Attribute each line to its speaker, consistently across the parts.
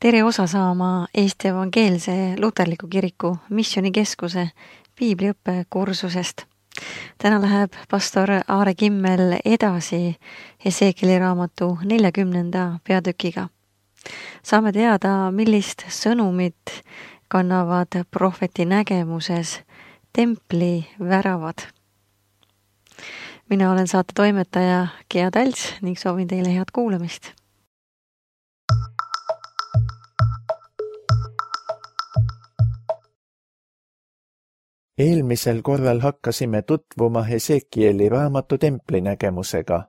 Speaker 1: Tere osa saama Eesti Evangeelse Luterliku Kiriku Missioonikeskuse piibliõppe kursusest. Täna läheb pastor Aare Kimmel edasi Hesekieli raamatu 40. peatükiga. Saame teada, millist sõnumit kannavad prohveti nägemuses templi väravad. Mina olen saate toimetaja Gea Talts ning soovin teile head kuulamist.
Speaker 2: Eelmisel korral hakkasime tutvuma Hesekieli raamatu templi nägemusega.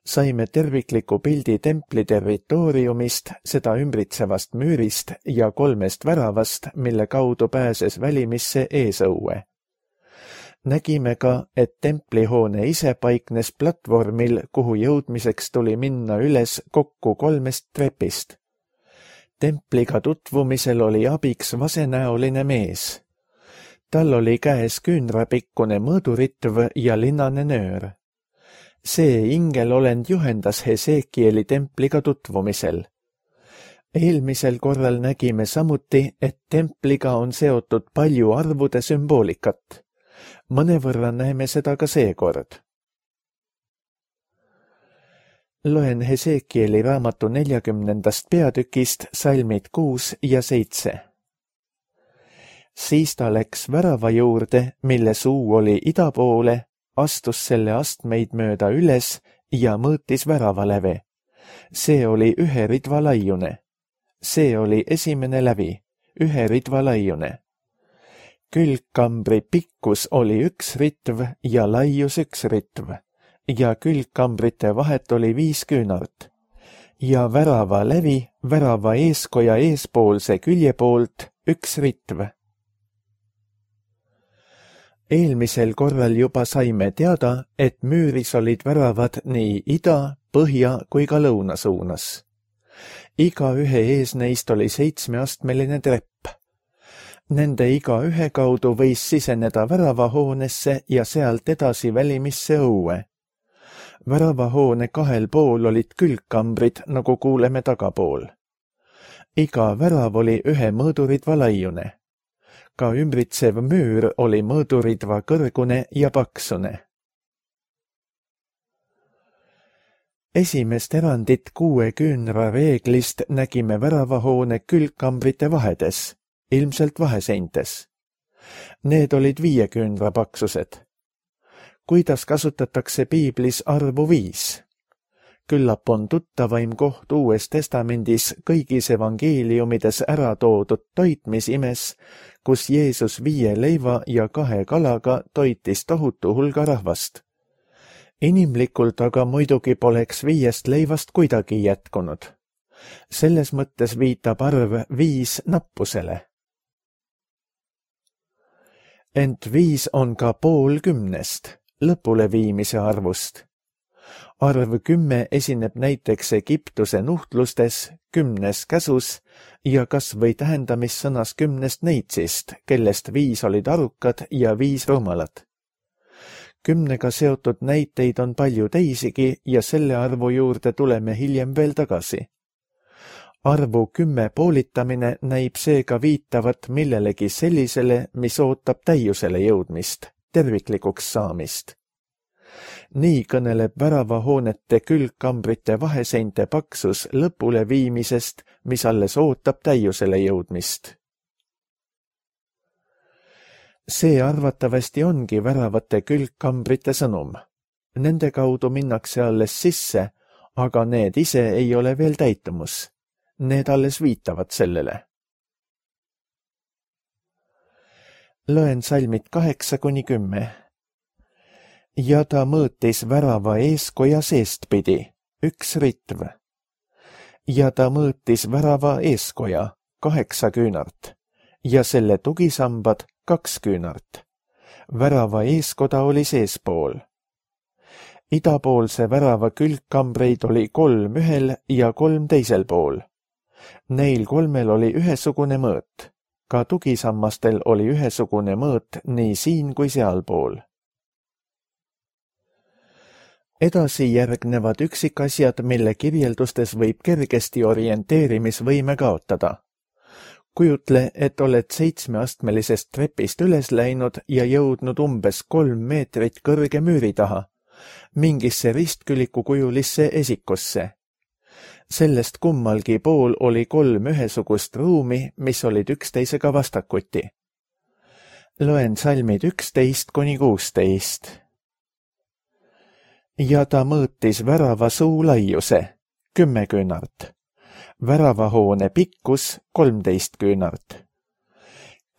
Speaker 2: Saime tervikliku pildi templi territooriumist, seda ümbritsevast müürist ja 3 väravast, mille kaudu pääses välimisse eesõue. Nägime ka, et templihoone ise paiknes platvormil, kuhu jõudmiseks tuli minna üles kokku 3 trepist. Templiga tutvumisel oli abiks vasenäoline mees. Tal oli käes küünrapikkune mõõduritv ja linnane nöör. See ingelolend juhendas Hesekieli templiga tutvumisel. Eelmisel korral nägime samuti, et templiga on seotud palju arvude sümboolikat. Mõnevõrra näeme seda ka seekord. Loen Hesekieli raamatu 40. peatükist salmid 6 ja 7. Siis ta läks värava juurde, mille suu oli ida poole, astus selle astmeid mööda üles ja mõõtis väravaläve. See oli 1 ridva laiune. See oli esimene lävi, 1 ridva laiune. Külgkambri pikkus oli 1 ritv ja laius 1 ritv ja külgkambrite vahet oli 5 küünart. Ja värava lävi värava eeskoja eespoolse külje poolt 1 ritv. Eelmisel korral juba saime teada, et müüris olid väravad nii ida, põhja kui ka lõuna suunas. Iga ühe ees neist oli 7-astmeline trepp. Nende iga ühe kaudu võis siseneda väravahoonesse ja sealt edasi välimisse õue. Väravahoone 2 pool olid külgkambrid, nagu kuuleme tagapool. Iga värav oli 1 mõõduridva laiune. Ka ümbritsev müür oli mõõduridva kõrgune ja paksune. Esimest erandit 6 küünra reeglist nägime väravahoone külgkambrite vahedes, ilmselt vaheseintes. Need olid 5 küünra paksused. Kuidas kasutatakse piiblis arvu 5? Küllap on tuttavaim koht Uues Testamendis kõigis evangeeliumides ära toodud toitmisimes, kus Jeesus 5 leiva ja 2 kalaga toitis tohutu hulga rahvast. Inimlikult aga muidugi poleks 5 leivast kuidagi jätkunud. Selles mõttes viitab arv 5 nappusele. Ent 5 on ka pool 10, lõpuleviimise arvust. Arv 10 esineb näiteks Egiptuse nuhtlustes, 10 käsus ja kas või tähendamissõnas 10 neitsist, kellest 5 olid arukad ja 5 rumalad. 10-ga seotud näiteid on palju teisigi ja selle arvu juurde tuleme hiljem veel tagasi. Arvu 10 poolitamine näib seega viitavat millelegi sellisele, mis ootab täiusele jõudmist, terviklikuks saamist. Nii kõneleb väravahoonete külgkambrite vaheseinte paksus lõpule viimisest, mis alles ootab täiusele jõudmist. See arvatavasti ongi väravate külgkambrite sõnum. Nende kaudu minnakse alles sisse, aga need ise ei ole veel täitumus. Need alles viitavad sellele. Loen salmid 8-10. Ja ta mõõtis värava eeskoja seestpidi, 1 ritv. Ja ta mõõtis värava eeskoja, 8 küünart, ja selle tugisambad 2 küünart. Värava eeskoda oli seespool. Idapoolse värava külgkambreid oli 3 ühel ja 3 teisel pool. Neil 3 oli ühesugune mõõt. Ka tugisammastel oli ühesugune mõõt nii siin kui sealpool. Edasi järgnevad üksikasjad, mille kirjeldustes võib kergesti orienteerimisvõime kaotada. Kujutle, et oled 7-astmelisest trepist üles läinud ja jõudnud umbes 3 meetrit kõrge müüri taha, mingisse ristkülikukujulisse esikusse. Sellest kummalgi pool oli 3 ühesugust ruumi, mis olid üksteisega vastakuti. Loen salmid 11–16. Ja ta mõõtis värava suu laiuse 10 küünart. Väravahoone pikkus 13 küünart.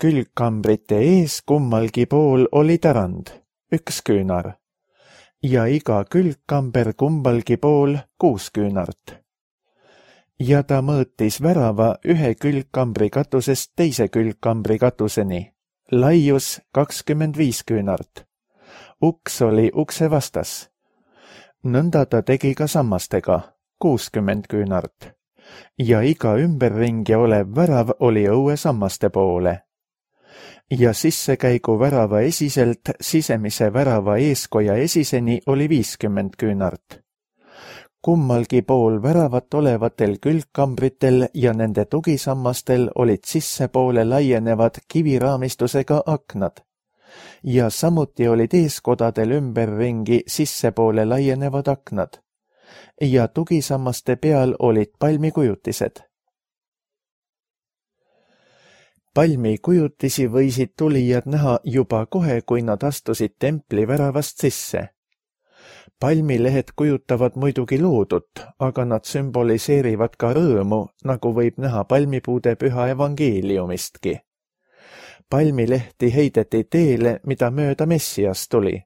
Speaker 2: Külgkambrite ees kummalgi pool oli tarand 1 küünar ja iga külgkamber kumbalgi pool 6 küünart. Ja ta mõõtis värava ühe külgkambri katusest teise külgkambri katuseni, laius 25 küünart. Uks oli ukse vastas. Nõnda ta tegi ka sammastega 60 küünart. Ja iga ümberringi olev värav oli õue sammaste poole. Ja sissekäigu värava esiselt sisemise värava eeskoja esiseni oli 50 küünart. Kummalgi pool väravat olevatel külgkambritel ja nende tugisammastel olid sissepoole laienevad kiviraamistusega aknad. Ja samuti olid eeskodadel ümberringi sissepoole laienevad aknad. Ja tugisammaste peal olid palmikujutised. Palmikujutisi võisid tulijad näha juba kohe, kui nad astusid templi väravast sisse. Palmilehed kujutavad muidugi loodut, aga nad sümboliseerivad ka rõõmu, nagu võib näha palmipuude püha evangeeliumistki. Palmilehti heideti teele, mida mööda Messias tuli.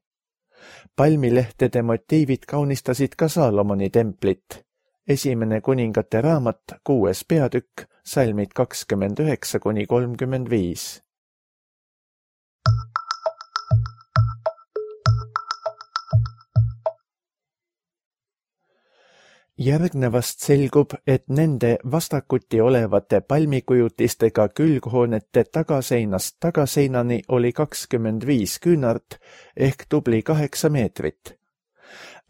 Speaker 2: Palmilehtede motiivid kaunistasid ka Saalomoni templit. 1. kuningate raamat, 6. peatükk, salmid 29–35. Järgnevast selgub, et nende vastakuti olevate palmikujutistega külghoonete tagaseinast tagaseinani oli 25 küünart ehk tubli 8 meetrit.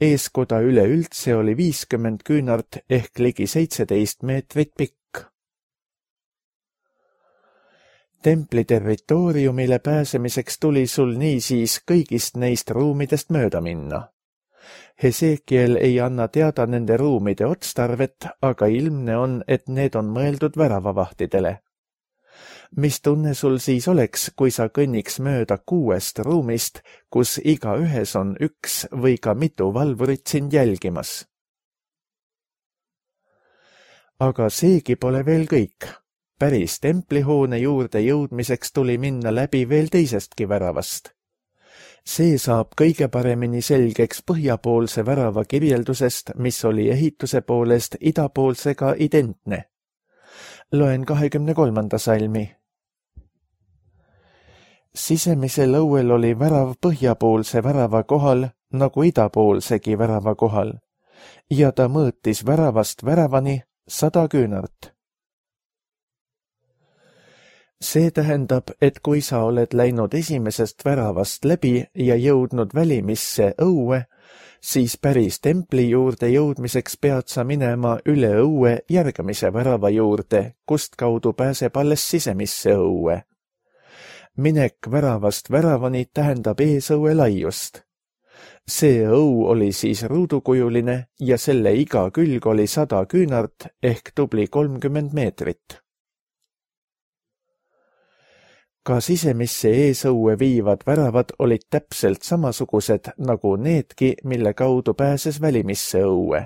Speaker 2: Eeskoda üleüldse oli 50 küünart ehk ligi 17 meetrit pikk. Templi territooriumile pääsemiseks tuli sul niisiis kõigist neist ruumidest mööda minna. Hesekiel ei anna teada nende ruumide otstarvet, aga ilmne on, et need on mõeldud väravavahtidele. Mis tunne sul siis oleks, kui sa kõnniks mööda 6 ruumist, kus igaühes on 1 või ka mitu valvurit sind jälgimas? Aga seegi pole veel kõik. Päris templihoone juurde jõudmiseks tuli minna läbi veel teisestki väravast. See saab kõige paremini selgeks põhjapoolse värava kirjeldusest, mis oli ehituse poolest idapoolsega identne. Loen 23. salmi. Sisemisel õuel oli värav põhjapoolse värava kohal, nagu idapoolsegi värava kohal, ja ta mõõtis väravast väravani 100 küünart. See tähendab, et kui sa oled läinud esimesest väravast läbi ja jõudnud välimisse õue, siis päris templi juurde jõudmiseks pead sa minema üle õue järgmise värava juurde, kust kaudu pääseb alles sisemisse õue. Minek väravast väravani tähendab eesõue laiust. See õu oli siis ruudukujuline ja selle iga külg oli 100 küünart ehk tubli 30 meetrit. Ka sisemisse eesõue viivad väravad olid täpselt samasugused nagu needki, mille kaudu pääses välimisse õue.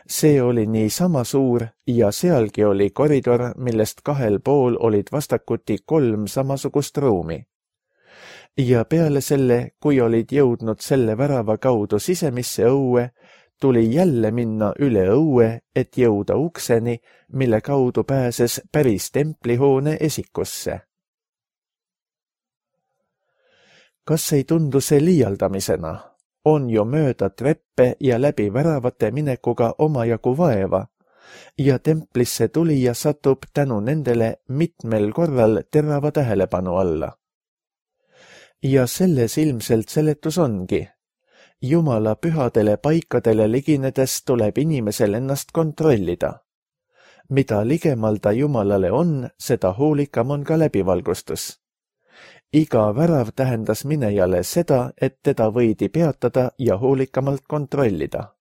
Speaker 2: See oli nii sama suur ja sealgi oli koridor, millest 2 pool olid vastakuti 3 samasugust ruumi. Ja peale selle, kui olid jõudnud selle värava kaudu sisemisse õue, tuli jälle minna üle õue, et jõuda ukseni, mille kaudu pääses päris templihoone esikusse. Kas ei tundu see liialdamisena? On ju mööda treppe ja läbi väravate minekuga omajagu vaeva ja templisse tulija satub tänu nendele mitmel korral terava tähelepanu alla. Ja selles ilmselt seletus ongi. Jumala pühadele paikadele liginedes tuleb inimesel ennast kontrollida. Mida ligemal ta Jumalale on, seda hoolikam on ka läbivalgustus. Iga värav tähendas minejale seda, et teda võidi peatada ja hoolikamalt kontrollida.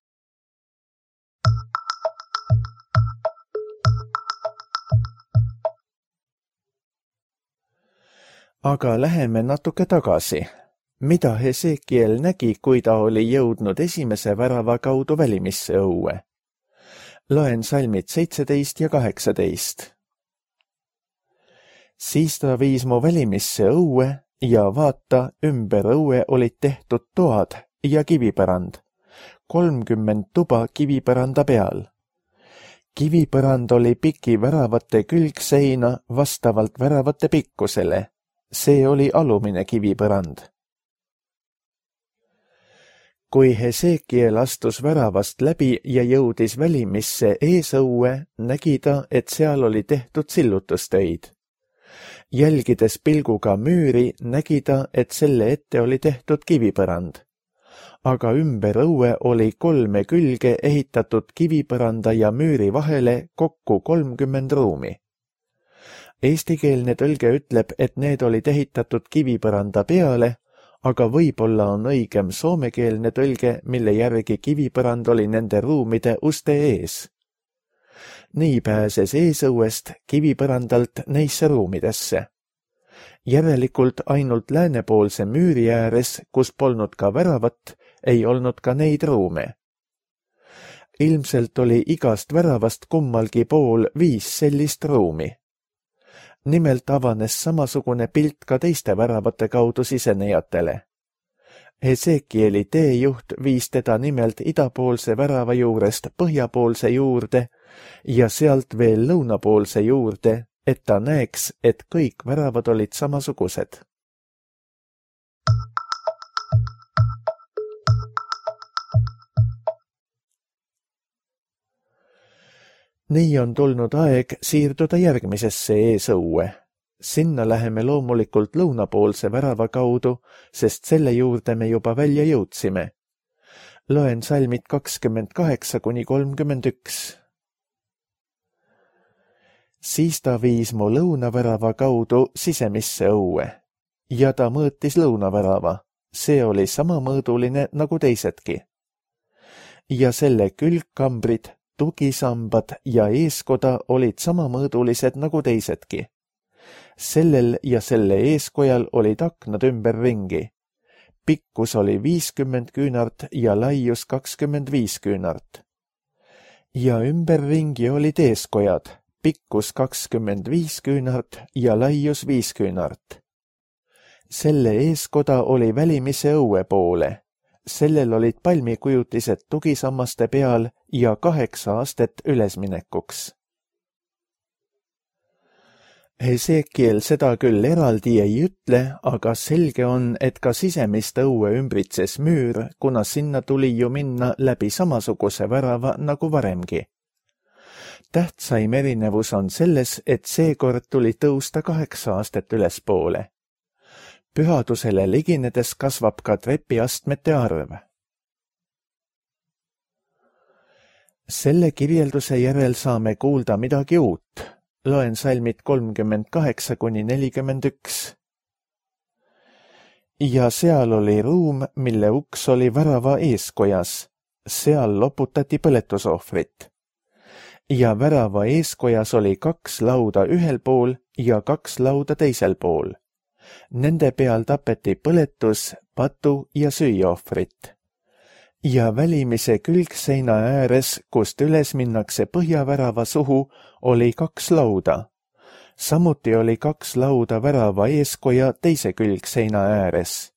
Speaker 2: Aga läheme natuke tagasi. Mida Hesekiel nägi, kui ta oli jõudnud esimese värava kaudu välimisse õue? Loen salmid 17 ja 18. Siis ta viis mu välimisse õue ja vaata, ümber õue olid tehtud toad ja kivipärand, 30 tuba kivipäranda peal. Kivipärand oli piki väravate külgseina vastavalt väravate pikkusele. See oli alumine kivipärand. Kui Hesekiel astus väravast läbi ja jõudis välimisse eesõue, nägi ta, et seal oli tehtud sillutustöid. Jälgides pilguga müüri, nägi ta, et selle ette oli tehtud kivipärand. Aga ümber õue oli 3 külge ehitatud kivipäranda ja müüri vahele kokku 30 ruumi. Eestikeelne tõlge ütleb, et need olid ehitatud kivipäranda peale, aga võib-olla on õigem soomekeelne tõlge, mille järgi kivipärand oli nende ruumide uste ees. Nii pääses eesõuest kivipärandalt neisse ruumidesse. Järelikult ainult läänepoolse müüri ääres, kus polnud ka väravat, ei olnud ka neid ruume. Ilmselt oli igast väravast kummalgi pool 5 sellist ruumi. Nimelt avanes samasugune pilt ka teiste väravate kaudu sisenejatele. Hesekieli teejuht viis teda nimelt idapoolse värava juurest põhjapoolse juurde ja sealt veel lõunapoolse juurde, et ta näeks, et kõik väravad olid samasugused. Nii on tulnud aeg siirduda järgmisesse eesõue. Sinna läheme loomulikult lõunapoolse värava kaudu, sest selle juurde me juba välja jõudsime. Loen salmid 28–31. Siis ta viis mu lõunavärava kaudu sisemisse õue ja ta mõõtis lõunavärava. See oli sama mõõduline nagu teisedki. Ja selle külgkambrid, tugisambad ja eeskoda olid samamõõdulised nagu teisedki. Sellel ja selle eeskojal olid aknad ümberringi. Pikkus oli 50 küünart ja laius 25 küünart. Ja ümberringi olid eeskojad, pikkus 25 küünart ja laius 5 küünart. Selle eeskoda oli välimise õue poole. Sellel olid palmikujutised tugisammaste peal ja 8 astet ülesminekuks. Hesekiel seda küll eraldi ei ütle, aga selge on, et ka sisemist õue ümbritses müür, kuna sinna tuli ju minna läbi samasuguse värava nagu varemgi. Tähtsaim erinevus on selles, et seekord tuli tõusta 8 astet ülespoole. Pühadusele liginedes kasvab ka trepiastmete arv. Selle kirjelduse järel saame kuulda midagi uut. Loen salmid 38–41. Ja seal oli ruum, mille uks oli värava eeskojas. Seal loputati põletusohvrit. Ja värava eeskojas oli 2 lauda ühel pool ja 2 lauda teisel pool. Nende peal tapeti põletus, patu ja süüaohvrit. Ja välimise külgseina ääres, kust üles minnakse põhjavärava suhu, oli 2 lauda. Samuti oli 2 lauda värava eeskoja teise külgseina ääres.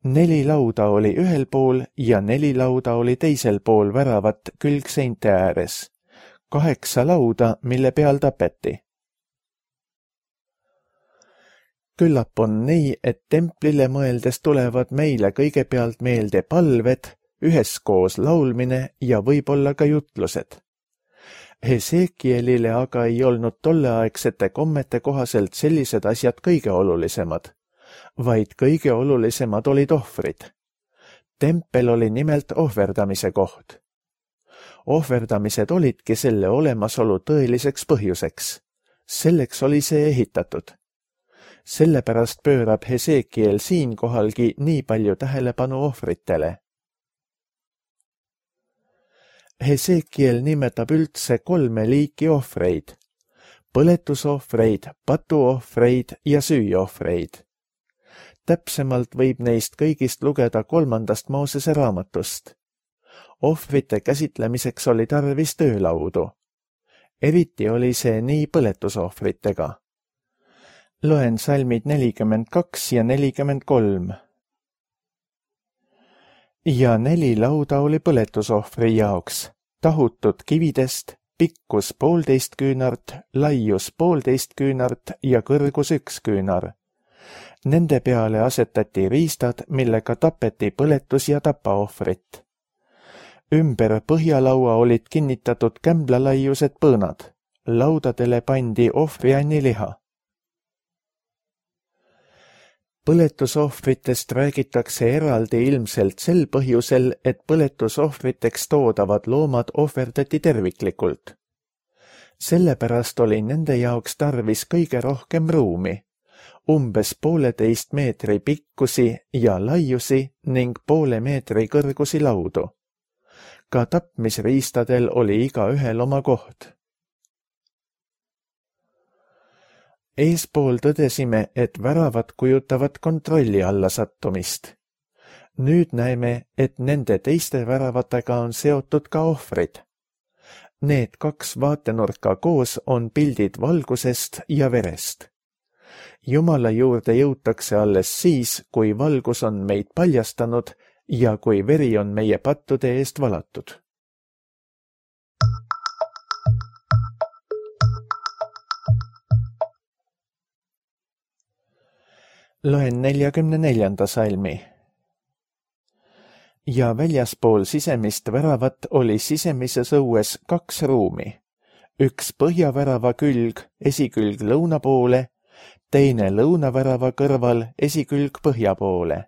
Speaker 2: 4 lauda oli ühel pool ja 4 lauda oli teisel pool väravat külgseinte ääres. 8 lauda, mille peal tapeti. Küllap on nii, et templile mõeldes tulevad meile kõigepealt meelde palved, üheskoos laulmine ja võib-olla ka jutlused. Hesekielile aga ei olnud tolleaegsete kommete kohaselt sellised asjad kõige olulisemad, vaid kõige olulisemad olid ohvrid. Tempel oli nimelt ohverdamise koht. Ohverdamised olidki selle olemasolu tõeliseks põhjuseks. Selleks oli see ehitatud. Sellepärast pöörab Hesekiel siinkohalgi nii palju tähelepanu ohvritele. Hesekiel nimetab üldse 3 liiki ohvreid: põletusohvreid, patuohvreid ja süüohvreid. Täpsemalt võib neist kõigist lugeda 3. Moosese raamatust. Ohvrite käsitlemiseks oli tarvis töölaudu. Eriti oli see nii põletusohvritega. Loen salmid 42 ja 43. Ja 4 lauda oli põletusohvri jaoks, tahutud kividest, pikkus 1,5 küünart, laius 1,5 küünart ja kõrgus 1 küünar. Nende peale asetati riistad, millega tapeti põletus- ja tapaohvrit. Ümber põhjalaua olid kinnitatud kämblalaiused põõnad. Laudadele pandi ohvrianniliha. Põletusohvritest räägitakse eraldi ilmselt sel põhjusel, et põletusohvriteks toodavad loomad ohverdati terviklikult. Sellepärast oli nende jaoks tarvis kõige rohkem ruumi, umbes 1,5 meetri pikkusi ja laiusi ning 0,5 meetri kõrgusi laudu. Ka tapmisriistadel oli igaühel oma koht. Eespool tõdesime, et väravad kujutavad kontrolli alla sattumist. Nüüd näeme, et nende teiste väravatega on seotud ka ohvrid. Need 2 vaatenurka koos on pildid valgusest ja verest. Jumala juurde jõutakse alles siis, kui valgus on meid paljastanud ja kui veri on meie pattude eest valatud. Loen 44. salmi. Ja väljaspool sisemist väravat oli sisemises õues 2 ruumi. Üks põhjavärava külg, esikülg lõuna poole, teine lõunavärava kõrval, esikülg põhja poole.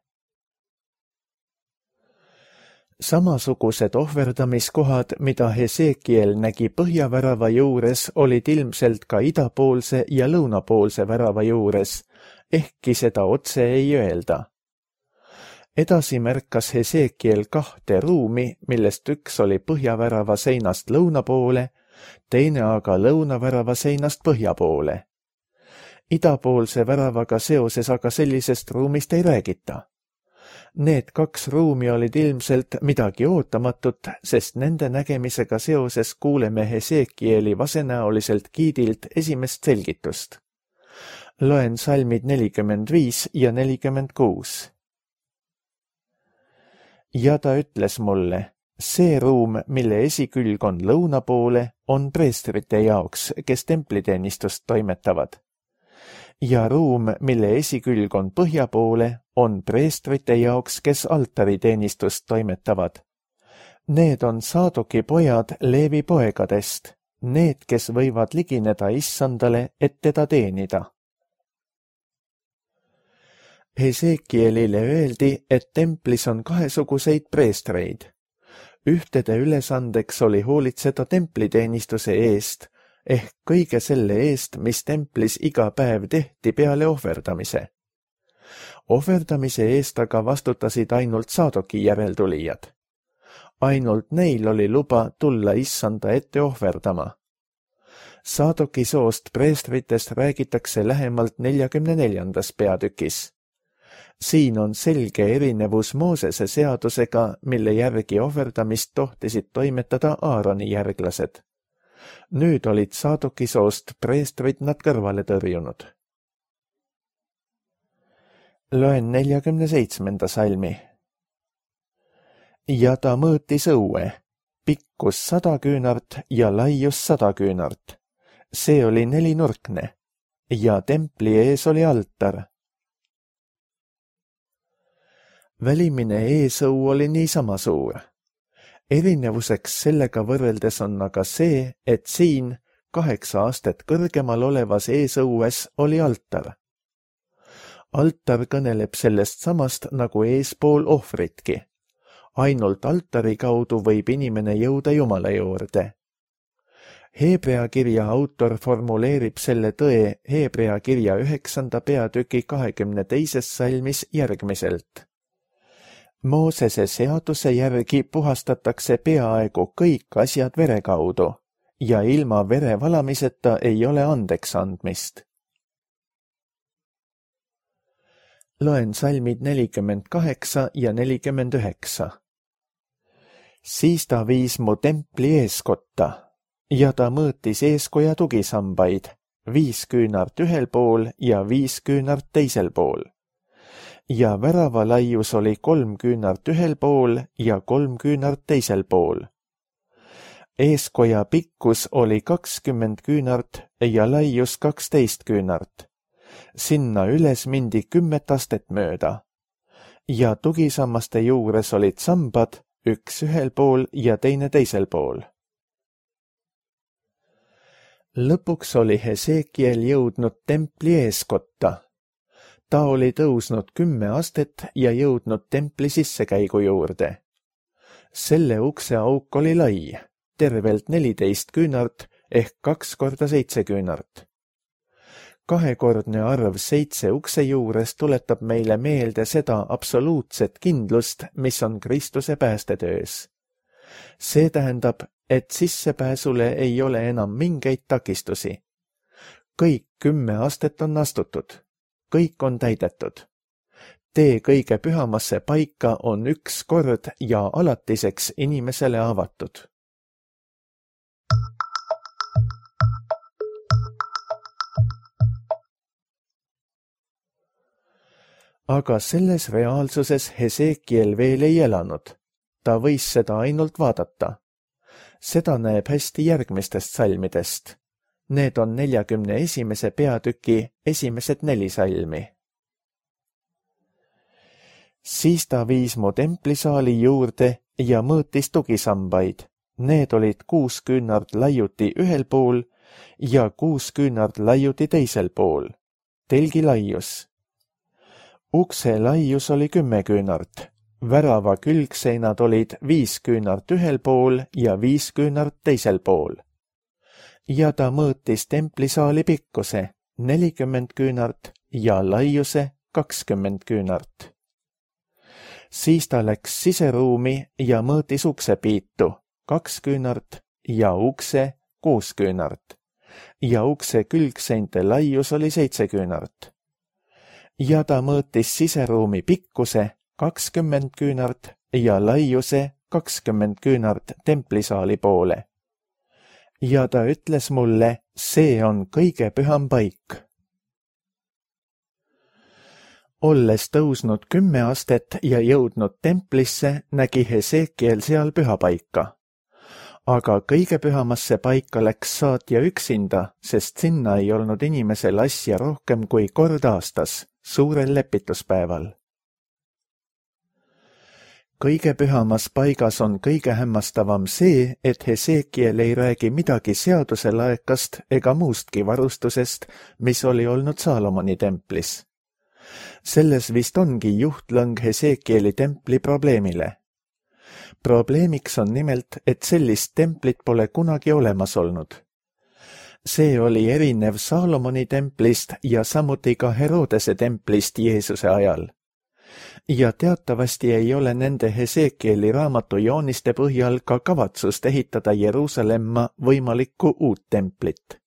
Speaker 2: Samasugused ohverdamiskohad, mida Hesekiel nägi põhjavärava juures, olid ilmselt ka idapoolse ja lõunapoolse värava juures, ehkki seda otse ei öelda. Edasi märkas Hesekiel 2 ruumi, millest üks oli põhjavärava seinast lõuna poole, teine aga lõunavärava seinast põhja poole. Idapoolse väravaga seoses aga sellisest ruumist ei räägita. Need 2 ruumi olid ilmselt midagi ootamatut, sest nende nägemisega seoses kuuleme Hesekieli vasenäoliselt giidilt esimest selgitust. Loen salmid 45 ja 46. Ja ta ütles mulle, see ruum, mille esikülg on lõuna poole, on preestrite jaoks, kes templiteenistust toimetavad. Ja ruum, mille esikülg on põhja poole, on preestrite jaoks, kes altariteenistust toimetavad. Need on Saadoki pojad Leevi poegadest, need, kes võivad ligineda issandale, et teda teenida. Hesekielile öeldi, et templis on 2 preestreid. Ühtede ülesandeks oli hoolitseda templiteenistuse eest, ehk kõige selle eest, mis templis iga päev tehti peale ohverdamise. Ohverdamise eest aga vastutasid ainult Saadoki järeltulijad. Ainult neil oli luba tulla issanda ette ohverdama. Saadoki soost preestritest räägitakse lähemalt 44. peatükis. Siin on selge erinevus Moosese seadusega, mille järgi ohverdamist tohtisid toimetada Aaroni järglased. Nüüd olid Saadoki soost preestrid nad kõrvale tõrjunud. Loen 47. salmi. Ja ta mõõtis õue, pikkus 100 küünart ja laius 100 küünart. See oli 4-nurkne ja templi ees oli altar. Välimine eesõu oli niisama suur. Erinevuseks sellega võrreldes on aga see, et siin 8 astet kõrgemal olevas eesõues oli altar. Altar kõneleb sellest samast nagu eespool ohvritki. ainult altari kaudu võib inimene jõuda Jumala juurde. Heebrea kirja autor formuleerib selle tõe Heebrea kirja 9. peatüki 22. salmis järgmiselt. Moosese seaduse järgi puhastatakse peaaegu kõik asjad vere kaudu ja ilma vere valamiseta ei ole andeks andmist. Loen salmid 48 ja 49. Siis ta viis mu templi eeskotta ja ta mõõtis eeskoja tugisambaid, 5 küünart ühel pool ja 5 küünart teisel pool. Ja värava laius oli 3 küünart ühel pool ja 3 küünart teisel pool. Eeskoja pikkus oli 20 küünart ja laius 12 küünart. Sinna üles mindi 10 astet mööda. Ja tugisammaste juures olid sambad, üks ühel pool ja teine teisel pool. Lõpuks oli Hesekiel jõudnud templi eeskotta. Ta oli tõusnud 10 astet ja jõudnud templi sissekäigu juurde. Selle ukse auk oli lai, tervelt 14 küünart ehk 2 korda 7 küünart. Kahekordne arv 7 ukse juures tuletab meile meelde seda absoluutset kindlust, mis on Kristuse päästetöös. See tähendab, et sissepääsule ei ole enam mingeid takistusi. Kõik 10 astet on astutud. Kõik on täidetud. Tee kõige pühamasse paika on üks kord ja alatiseks inimesele avatud. Aga selles reaalsuses Hesekiel veel ei elanud. Ta võis seda ainult vaadata. Seda näeb hästi järgmistest salmidest. Need on 41. peatüki esimesed 4 salmi. Siis ta viis mu templisaali juurde ja mõõtis tugisambaid. Need olid 6 küünart laiuti ühel pool ja 6 küünart laiuti teisel pool. Telgi laius. Ukse laius oli 10 küünart. Värava külgseinad olid 5 küünart ühel pool ja 5 küünart teisel pool. Ja ta mõõtis templisaali pikkuse 40 küünart ja laiuse 20 küünart. Siis ta läks siseruumi ja mõõtis uksepiitu 2 küünart ja ukse 6 küünart. Ja ukse külgseinte laius oli 7 küünart. Ja ta mõõtis siseruumi pikkuse 20 küünart ja laiuse 20 küünart templisaali poole. Ja ta ütles mulle, see on kõige püham paik. Olles tõusnud 10 astet ja jõudnud templisse, nägi Hesekiel seal pühapaika. Aga kõige pühamasse paika läks saatja üksinda, sest sinna ei olnud inimesel asja rohkem kui kord aastas, suurel lepituspäeval. Kõige pühamas paigas on kõige hämmastavam see, et Hesekiel ei räägi midagi seaduselaekast ega muustki varustusest, mis oli olnud Saalomoni templis. Selles vist ongi juhtlõng Hesekieli templi probleemile. Probleemiks on nimelt, et sellist templit pole kunagi olemas olnud. See oli erinev Saalomoni templist ja samuti ka Herodese templist Jeesuse ajal. Ja teatavasti ei ole nende Hesekieli raamatu jooniste põhjal ka kavatsust ehitada Jeruusalemma võimalikku uut templit.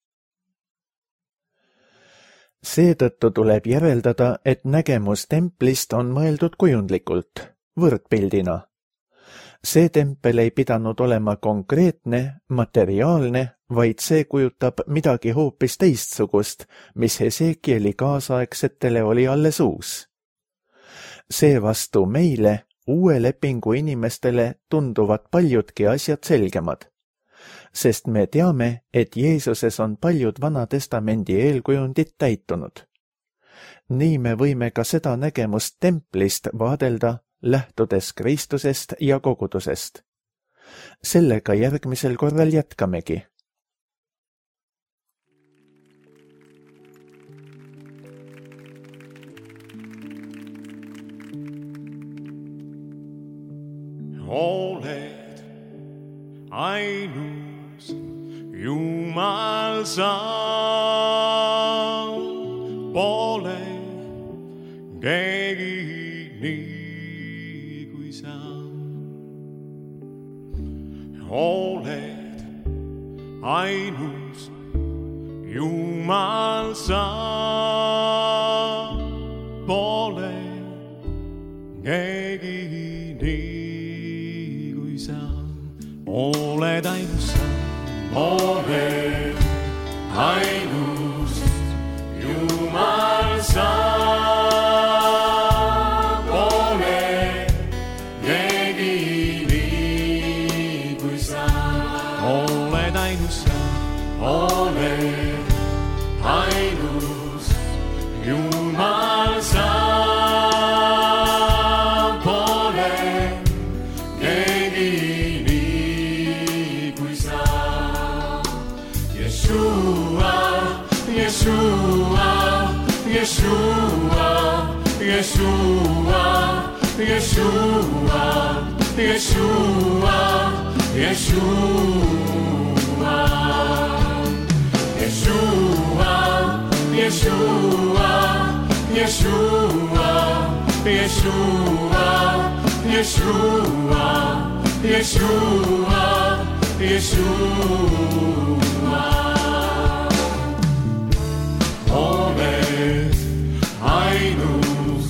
Speaker 2: Seetõttu tuleb järeldada, et nägemus templist on mõeldud kujundlikult, võrdpildina. See tempel ei pidanud olema konkreetne, materiaalne, vaid see kujutab midagi hoopis teistsugust, mis Hesekieli kaasaegsetele oli alles uus. Seevastu meile, uue lepingu inimestele, tunduvad paljudki asjad selgemad, sest me teame, et Jeesuses on paljud Vana Testamendi eelkujundid täitunud. Nii me võime ka seda nägemust templist vaadelda, lähtudes Kristusest ja kogudusest. Sellega järgmisel korral jätkamegi.
Speaker 3: oled ainus Jumal sa, pole keegi nii kui sa. Oled ainus Jumal sa, pole keegi nii kui sa. Oled ainus sa, oled ainus Jumal sa, pole keegi nii kui sa. Oled ainus sa, oled ainus Jumal sa, pole keegi nii kui sa. Yeshua, Yeshua, Yeshua, Yeshua, Yeshua, Yeshua, Yeshua, Yeshua, Yeshua, Yeshua, Yeshua, Yeshua, Yeshua, Yeshua. Oled ainus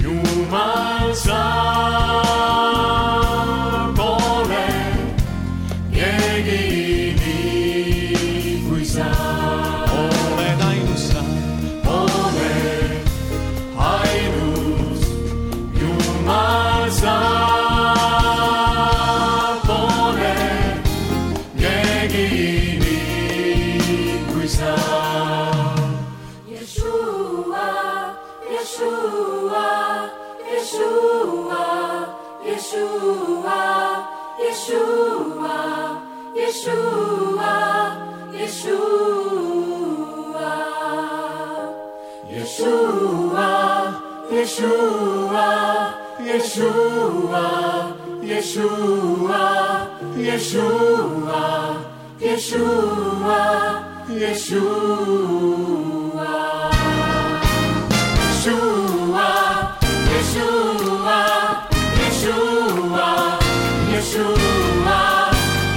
Speaker 3: Jumal sa, pole keegi nii kui sa. Oled ainus, oled ainus Jumal sa, pole keegi nii kui sa. Yeshua, Yeshua, Yeshua, Yeshua, Yeshua, Yeshua, Yeshua, Yeshua, Yeshua, Yeshua, Yeshua, Yeshua, Yeshua.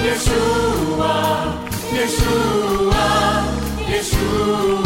Speaker 3: Yeshua, Yeshua, Yeshua.